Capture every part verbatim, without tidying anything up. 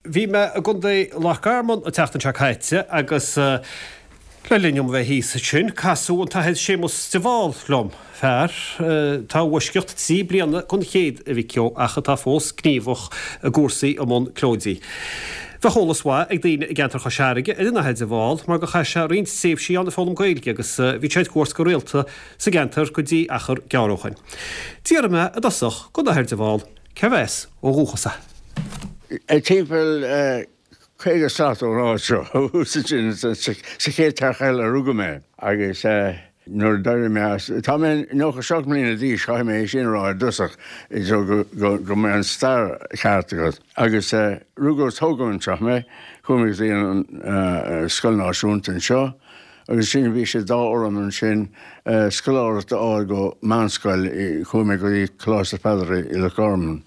Bhí mé i gContae Loch Garman an tseachtain seo caite agus le linn dom bheith thíos ansin, casadh an tAthair Séamus de Bhál liom, fear atá i bhfoisceacht trí bliana den chéad, a mhic ó, ach atá fós gníomhach i gcúrsaí i mbun Clóidí. Bheadh eolas mhaith ag daoine i gceantar Chois Fharraige ar an Athair de Bhál mar gur chaith sé roinnt tréimhsí ann ag foghlaim Gaeilge agus bhí sé ar cuairt go rialta sa gceantar go dtí achar gearr ó shoin. D'fhiafraigh mé i dtosach den Athair de Bhál cérbh as ó dhúchas é. Timpeall caoga slat ón áit seo thuas ansin sa chéad teach eile a rugadh mé agus nuair a d'éirigh mé as, tá mé nócha seacht mbliana d'aois, caithfidh mé é sin a rá i dtosach so go go mbeidh an stair ceart agat. Agus rugadh is tógadh anseo mé, chuaigh mé go dtí an Scoil Náisiúnta anseo agus sin bhí sé d'ádh orm ansin scoláireacht a fháil go meánscoil, chuaigh mé go dtí Coláiste Pheadair i Loch Garman.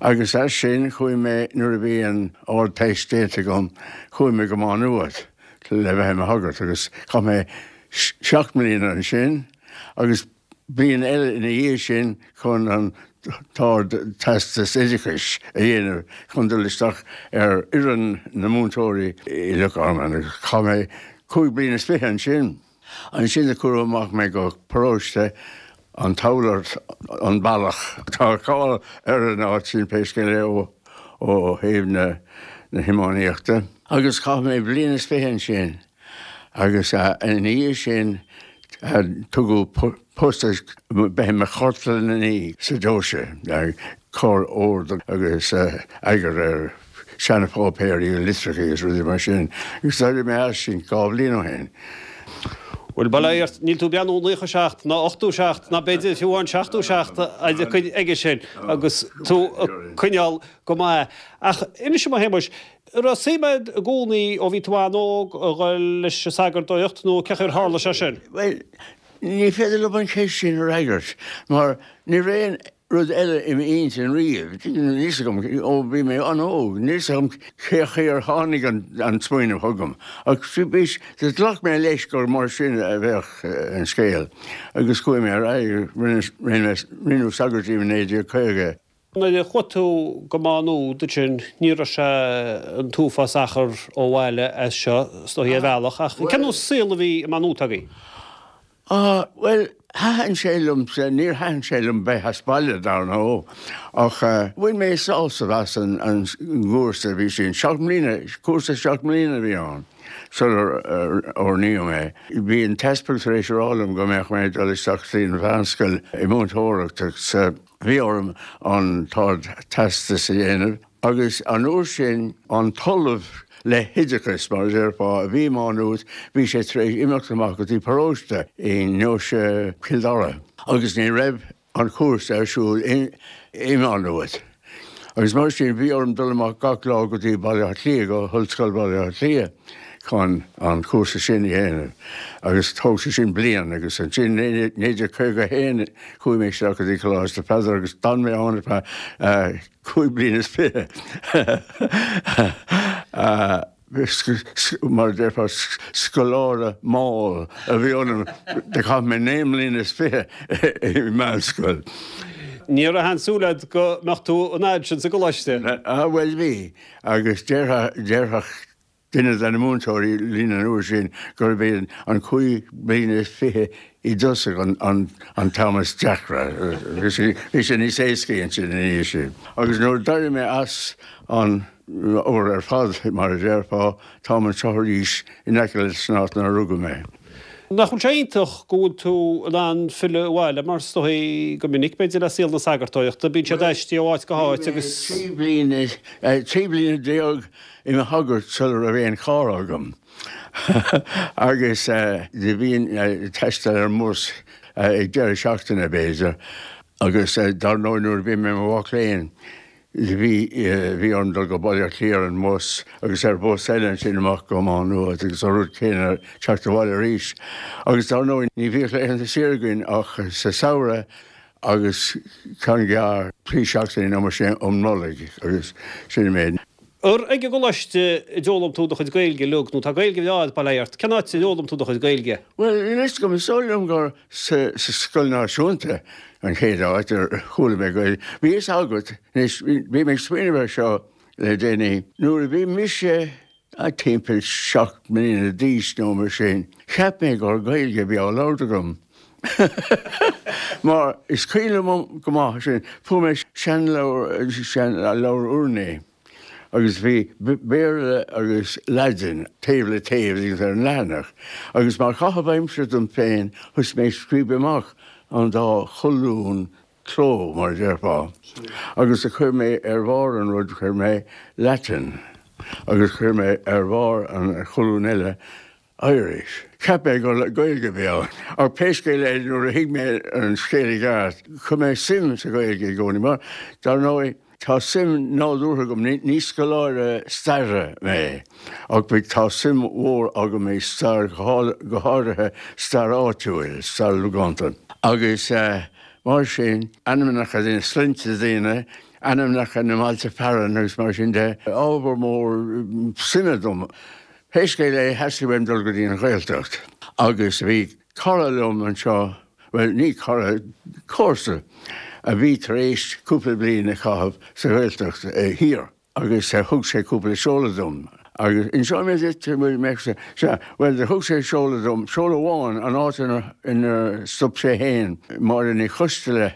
Agus as sin chuaigh mé nuair a bhí an Ardteist déanta agam, chuaigh mé go Má Nuad le bheith i mo shagart agus chaith mé seacht mbliana ansin agus bliain eile ina dhiaidh sin chun an tArd-Teastas Oideachais a dhéanamh chun dul isteach ar fhoireann na múinteoirí i Loch Garman agus chaith mé cúig bliana is fiche ansin. Ansin a cuireadh amach mé go paróiste an Tughlairt, an Bealach. Tá cáil ar an áit sin pé scéal é ó ó thaobh na na hiománaíochta. Agus chaith mé bliain is fiche ansin. Agus ina dhiaidh sin tugadh post bheith i mo chartlannaí sa deoise, ag cur ord agus eagar ar seanpháipéirí agus litreacha agus rudaí mar sin. Agus d'éirigh mé as sin dhá bhliain ó shin. Bhuel, bail ó Dhia ort, níl tú ag breathnú naocha seacht ná ochtó seacht ná b'fhéidir fiú amháin seachtó seacht aige sin agus tú ag coinneáil go maith. Ach inis dom a Shéamuis, An raibh suim agat i gcónaí ó bhí tú an-óg a dhul leis an sagartóireacht nó cén chaoi ar tharla sé sin? Bhuel, ní féidir liom an cheist sin a fhreagairt mar ní raibh aon rud eile i m'intinn riamh. Níl fhios agam, ó bhí mé an-óg, níl fhios agam cé chaoi ar tháinig an smaoineamh chugam. Ach bhí, ghlac mé leis gur mar sin a bheadh an scéal agus chuaigh mé ar aghaidh, rinneadh sagart díom i naoi déag caoga. Nuair a chuaigh tú go Má Nuad ansin, ní raibh sé an t-uafás achar ó bhaile as seo, is dóigh, ar bhealach, ach cén nós saol a bhí i Má Nuad agaibh? Ah, bhuel, thaitin sé liomsa, níor thaitin sé liom bheith as baile, dar ndóigh, ach bhain mé sásamh as an gcúrsa a bhí sin, seacht mbliana, cúrsa seacht mbliana a bhí ann sular oirníodh mé. Bhí an t-easpag tar éis a rá liom go mbeadh mé ag dul isteach go dtí an mheánscoil i múinteoireacht agus Bhí orm an tArd-Teastas a dhéanamh agus an uair sin an tOllamh le hOideachas, mar a déarfá, a bhí i Má Nuad, bhí sé tar éis imeacht amach go dtí paróiste i ndeoise Chill Dara agus ní raibh an cúrsa ar siúl i Má Nuad. Agus mar sin bhí orm dul amach gach lá go dtí Baile Átha Cliath, go hOllscoil Bhaile Átha Cliath chun an cúrsa sin a dhéanamh agus thóg sé sin bliain agus ansin naoi déag caoga a haon chuaigh mé isteach go dtí Coláiste Pheadair agus d'fhan mé ann ar feadh cúig bliana is fiche. Mar a déarfá, scoláire mall a bhí ionam, do chaith mé naoi mbliana is fiche i meánscoil. Ní raibh aon súil agat go mbeadh tú an fhad sin sa gcoláiste? Ah bhuel bhí, agus déarfadh duine de na múinteoirí linn an uair sin gurb é an cúig bliana is fiche i dtosach an t-am is deacra. Bhí sé níos éascaí ansin ina dhiaidh sin. Agus nuair a d'éirigh mé as an obair ar fad, mar a déarfá, táim anseo arís in aice leis an áit inar rugadh mé. Nach bhfuil sé iontach go bhfuil tú in ann filleadh abhaile, mar is dóigh go minic, b'fhéidir, le saol na sagartóireachta, bíonn siad aistrithe ó áit go háit agus. Bhí mé trí bliana déag i mo shagart sula raibh aon charr agam agus do bhínn ag taisteal ar an mbus ag deireadh seachtaine, b'fhéidir, agus dar ndóigh nuair a bhí mé i mo mhac léinn, Bhí, bhí orm dul go Baile Átha Cliath ar an mbus agus ar bhus eile ansin amach go Má Nuad agus an rud céanna teacht abhaile arís. Agus dar ndóigh ní bhíodh laethanta saoire againn ach sa samhradh agus ceann gearr trí seachtainí nó mar sin um Nollaig agus sin an méid. Ar ag an gcoláiste a d'fhoghlaim tú do chuid Gaeilge uilig nó tá Gaeilge bhreá agat, bail ó Dhia ort. Cén áit a d'fhoghlaim tú do chuid Gaeilge? Bhuel, níl fhios agam, is dóigh liom gur sa Scoil Náisiúnta an chéad áit ar chuala mé Gaeilge. Bhí fhios agat, anois, bhí mé ag smaoineamh air seo le déanaí. Nuair a bhí mise timpeall seacht mbliana d'aois nó mar sin, cheap mé gur Gaeilge a bhí á labhairt agam. Mar is cuimhin liom go maith sin, fuair mé seanleabhar, seanleabhar urnaí agus bhí Béarla agus Laidin taobh le taobh agus ar an leathanach. Agus mar chaitheamh aimsire dom féin, thosaigh mé ag scríobh amach an dá cholún cló, mar a déarfá. Agus a chuir mé ar bharr an rud, chuir mé Latin agus chuir mé ar bharr an cholún eile Irish. Cheap mé gur Gaeilge a bhí ann. Ach pé scéal é, nuair a thuig mé an scéal i gceart, chuir mé suim sa Ghaeilge i gcónaí, mar dar ndóigh, tá suim nádúrtha agam, ní scoláire staire mé, ach tá suim mhór agam i stair, go háirithe stair áitiúil, stair logánta. Agus mar sin, ainmneacha daoine, sloinnte daoine, ainmneacha na mbailte fearainn agus mar sin de, ábhar mór suime dom. Pé scéal é, theastaigh uaim dul go dtí an Ghaeltacht agus bhí cara liom anseo, bhuel, ní cara, comharsa, a bhí tar éis cúpla bliain a chaitheamh sa Ghaeltacht thiar agus thug sé cúpla seoladh dom. Agus inseoidh mé duit, bhuel, mbeadh sé, sea, bhuel, thug sé seoladh dom, seoladh amháin, an áit inar stop sé féin, Máire Ní Choisteala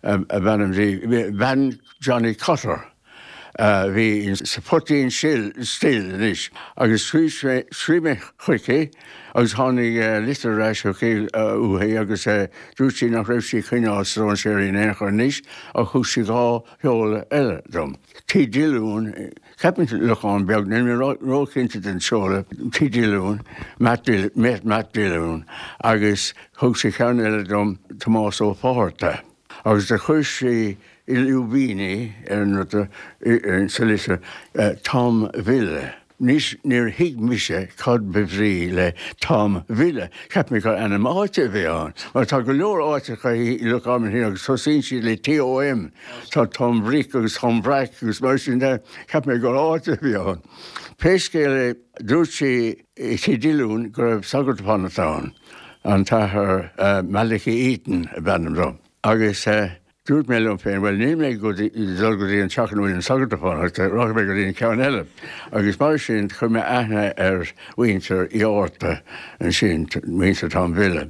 ab ainm di, bean Johnny Cotter a bhí sa Phoitín Stil anois, agus scríobh mé chuici agus tháinig litir ar ais chuici uaithi agus dúirt sí nach raibh sí ag coinneáil stróinséirí in aon chor anois ach thug sí dhá sheoladh eile dom. Tigh Diolún, ceapaim Lochán Beag, níl mé róchinnte den seoladh, Tigh Diolún, Matt Diolún, agus thug sí ceann eile dom, Tomás Ó Fátharta. Agus do chuir sí i lúibíní ar an rud sa litir, Tom Bhille. Anois níor thuig mise cad ba bhrí le Tom Bhille. Cheap mé gur ainm áite a bhí ann, mar tá go leor áiteacha i Loch Garman thiar agus tosaíonn siad le TOM. Tá Tom Bhric agus Tom Bhreac agus mar sin de. Cheap mé gur áit a bhí ann. Pé scéal é, dúirt sí i Tigh Diolún go raibh sagart ag fanacht ann, an tAthair Malachy Eaton ab ainm dó. Agus dúirt mé liom féin, bhuel, níl mé ag dul go dtí an teach ina bhfuil an sagart ag fanacht, rachaidh mé go dtí an ceann eile. Agus mar sin, chuir mé aithne ar mhuintir Uí Fhátharta ansin, muintir Tom Bhille.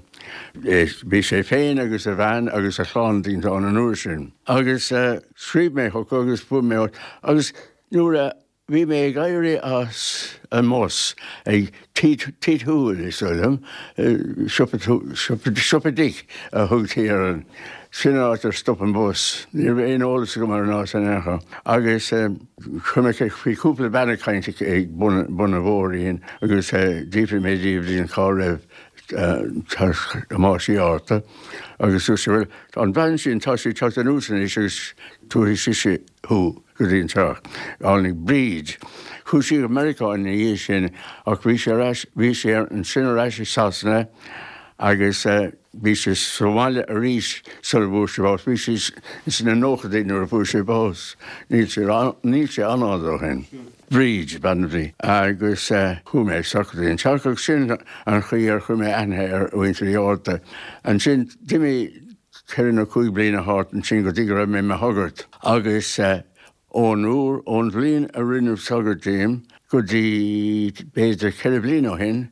Bhí sé féin agus a bhean agus a chlann daoine ann an uair sin. Agus scríobh mé chucu agus fuair mé, agus nuair a Bhí mé ag éirí as an mbus ag Tigh Toohill, is dóigh liom, siopa, siopa Dick a thugtaí air an, sin an áit ar stop an bus. Ní raibh aon eolas agam ar an áit in aon chor. Agus chuir mé, bhí cúpla bean ag caint ag bun, bun an bhóithrín agus d'fhiafraigh mé díobh cá raibh teach Thomáis Uí Fhátharta agus dúirt sí, bhuel, an bhean sin, tá sí ag teacht anuas anois agus tabharfaidh sise thú. go dtí an teach. Tháinig Bríd. Chuaigh sí go Meiriceá ina dhiaidh sin ach bhí sé ar ais, bhí sé ansin ar ais i Sasana agus bhí sé sa bhaile arís sula bhfuair sé bás. Bhí sé sna nóchaidí nuair a fuair sé bás. Níl sé, níl sé an-fhada ó shin. Bríd ab ainm di. Agus chuaigh mé isteach go dtí an teach agus sin an chaoi ar chuir mé aithne ar mhuintir Uí Fhátharta. Ansin d'imigh ceithre nó cúig bliana thart ansin go dtí go raibh mé i mo shagart agus ón uair, ón bhliain a rinneadh sagart díom go dtí b'fhéidir ceithre bliana ó shin,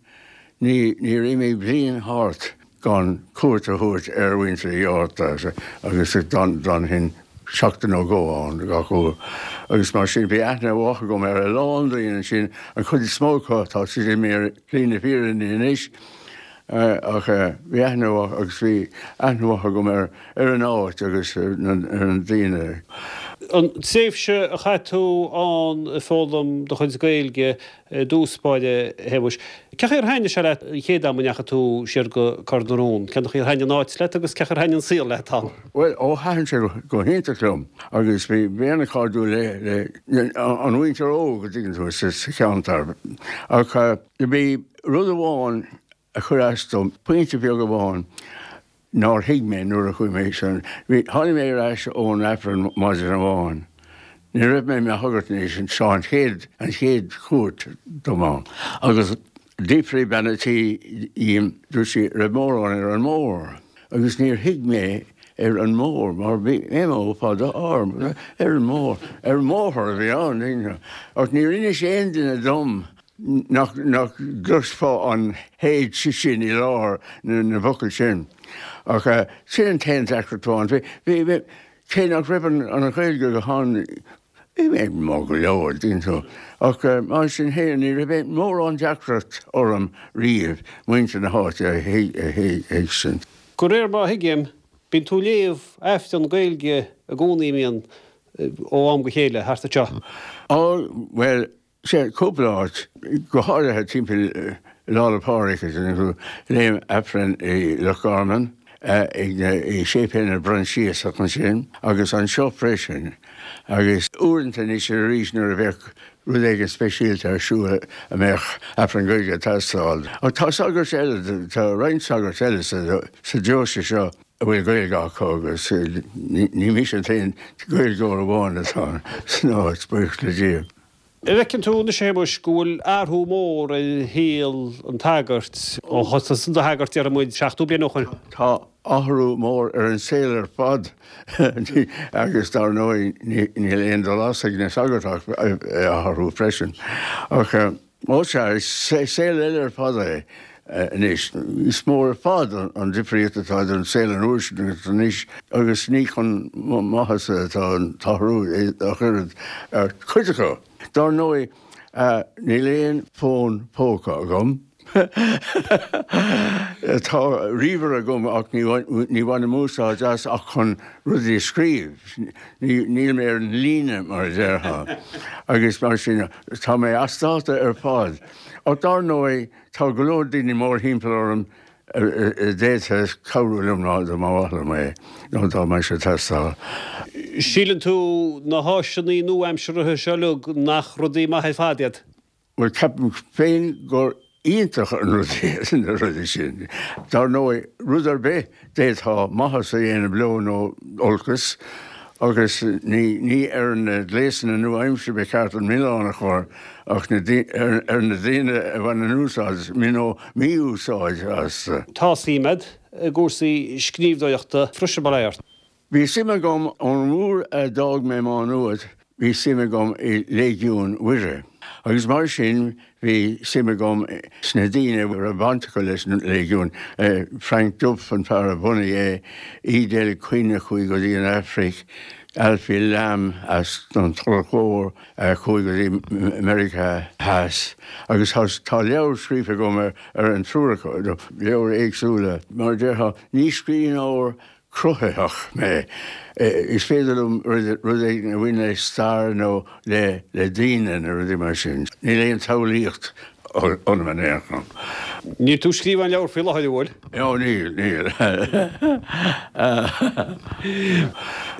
ní, níor imigh bliain thart gan cuairt a thabhairt ar mhuintir Uí Fhátharta agus d'fhanfainn seachtain nó dhó ann gach uair. Agus mar sin bhí aithne mhaith agam ar a lán daoine ansin, an chuid is mó acu tá siad imithe ar shlí na fírinne anois. Ach bhí aithne mhaith agus bhí aithne mhaith agam ar ar an áit agus ar na daoine. An tréimhse a chaith tú ann ag foghlaim do chuid Gaeilge i dtús báire, a Shéamuis, cén chaoi ar thaitnigh sé leat an chéad am a ndeachaigh tú siar go Cor na Rón? Cén chaoi ar thaitnigh an áit leat agus cén chaoi ar thaitnigh an saol leat ann? Bhuel, ó thaitin sé go hiontach liom agus bhí mé an-chairdiúil le le an mhuintir óg, an dtuigeann tú, sa cheantar. Ach bhí rud amháin a chuir as dom, pointe beag amháin nár thuig mé nuair a chuaigh mé san, bhí, tháinig mé ar ais ón Aifreann maidin amháin. Ní raibh mé i mo shagart anois, seo an chéad, an chéad chuairt dom ann. Agus d'fhiafraigh bean a' tí dhíom, dúirt sí, raibh mórán ar an mbóthar. Agus níor thuig mé ar an mbóthar mar bhí M O fada R ar an mbóthar, ar an mbóthar a bhí ann, ach níor inis aon duine dom nach nach gcloisfeá an H sin i lár na na bhfocal sin. Ach sin an t-aon deacracht amháin. Bhí bhí cé nach raibh an an Ghaeilge go han bhí mé maith go leor dtuigeann tú. Ach mar sin féin ní raibh mórán deacracht orm riamh muintir na háite a thuigsint. De réir mar a thuigim, bíonn tú ag léamh Aifreann Gaeilge i gcónaí, mbíonn, ó am go chéile thart anseo? Á, bhuel, sea, cúpla áit, go háirithe timpeall Lá 'le Pádraig, léim Aifreann i Loch Garman, ag i Séipéal na bProinsiasach ansin, agus anseo freisin, agus uaireanta anois arís nuair a bheadh rud éigin speisialta ar siúl a mbeadh Aifreann Gaeilge ag teastáil. Ach tá sagairt eile, tá roinnt sagart eile sa deoise seo a bhfuil Gaeilge acu agus ní mise an t-aon Ghaeilgeoir amháin atá san áit, buíochas le Dia. An bhfeiceann tú anois, a Shéamuis, go bhfuil athrú mór ar shaol an tsagairt ó thosaigh tusa i do shagart, déarfaidh muid, seachtó bliain ó shoin? Tá athrú mór ar an saol ar fad agus dar ndóigh níl aon dul as ag na sagairt ach athrú freisin. Ach ó sea, is saol eile ar fad é. Anois, is mór ar fad an difríocht atá idir an saol an uair sin agus anois agus ní chun maitheasa atá an t-athrú ach oiread ar chuid acu. Dar ndóigh, níl aon fón póca agam. Tá ríomhaire agam ach ní bhainim úsáid as ach chun rudaí a scríobh. Níl mé ar an líne, mar a déarfá, agus mar sin tá mé as dáta ar fad. Ach dar ndóigh, Tá go leor daoine mórthimpeall orm a d'fhéadfadh cabhrú liom dá mba mhaith liom é nó dá mbeadh sé ag teastáil. Síleann tú na háiseanna nua-aimseartha seo uilig nach rudaí maithe ar fad iad? Bhuel, ceapaim féin gur iontach an rud iad na rudaí sin. Dar ndóigh, rud ar bith d'fhéadfá maitheas a dhéanamh leo nó olcas. Agus ní ar na gléasanna nua-aimseartha ba cheart an milleán a chur ach ar na daoine a bhaineann úsáid, nó mí-úsáid, astu. Tá suim agat i gcúrsaí scríbhneoireachta freisin, bail ó Dhia ort. Bhí suim agam ón uair a d'fhág mé Má Nuad, bhí suim agam i Léigiún Mhuire. Agus mar sin bhí suim agam sna daoine a raibh baint acu leis an Léigiún, Frank Duff, an fear a bhunaigh é, Edel Quinn a chuaigh go dtí an Afraic, Alfie Lambe as an Tulach Mhór a chuaigh go dtí Meiriceá Theas. Agus tá leabhar scríofa agam ar an triúr acu, leabhair éagsúla. Mar a déarfá, ní scríbhneoir cruthaitheach mé. Is féidir liom rud éigin a bhain le stair nó le daoine nó rudaí mar sin. Níl aon tsamhlaíocht ionam in aon chor. Níl tú ag scríobh aon leabhar faoi láthair, an bhfuil? Ó, níl, níl.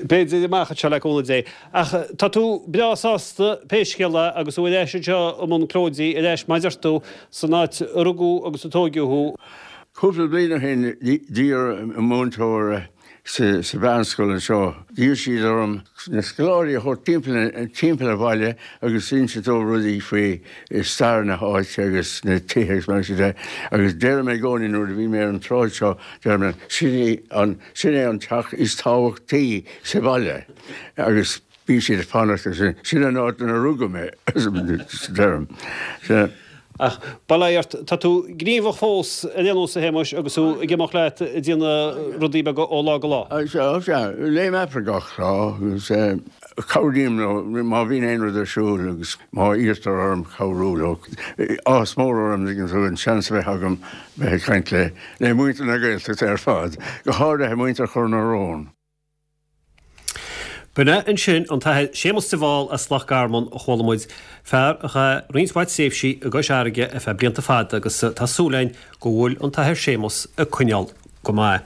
B'fhéidir amach anseo le cúnamh Dé. Ach tá tú breá sásta pé scéal é agus tú ar ais anseo i mbun Clóidí ar ais mar a deir tú san áit a rugadh agus a tóigeadh thú. Cúpla bliain ó shin d'iarr múinteoir sa mheánscoil anseo, d'iarr siad orm na scoláirí a thabhairt timpeall an bhaile agus inse dóibh rudaí faoi stair na háite agus na tithe agus mar sin de agus deirim i gcónaí nuair a bhíonn mé ar an tsráid seo, deirim sin é an, sin é an teach is tábhachtaí sa bhaile agus Bhí siad ag fanacht ansin. Sin an áit ina rugadh mé, deirim. Ach bail ó Dhia ort, tá tú gníomhach fós ar aon nós, a Shéamuis, agus tú ag imeacht leat ag déanamh rudaí beaga ó lá go lá. Sea, sea. Léim Aifreann gach lá agus cabhraím leo má bhíonn aon rud ar siúl agus má iarrtar orm cabhrú leo. Áthas mór orm, tuigeann tú, an seans a bheith agam bheith ag caint le muintir na Gaeltachta ar fad, go háirithe muintir Chor na Rón. B'in é ansin an tAthair Séamus de Bhál as Loch Garman a chuala muid, fear a chaith roinnt mhaith tréimhsí i gCois Fharraige ar feadh blianta fada agus tá súil againn go bhfuil an tAthair Séamus ag coinneáil go maith.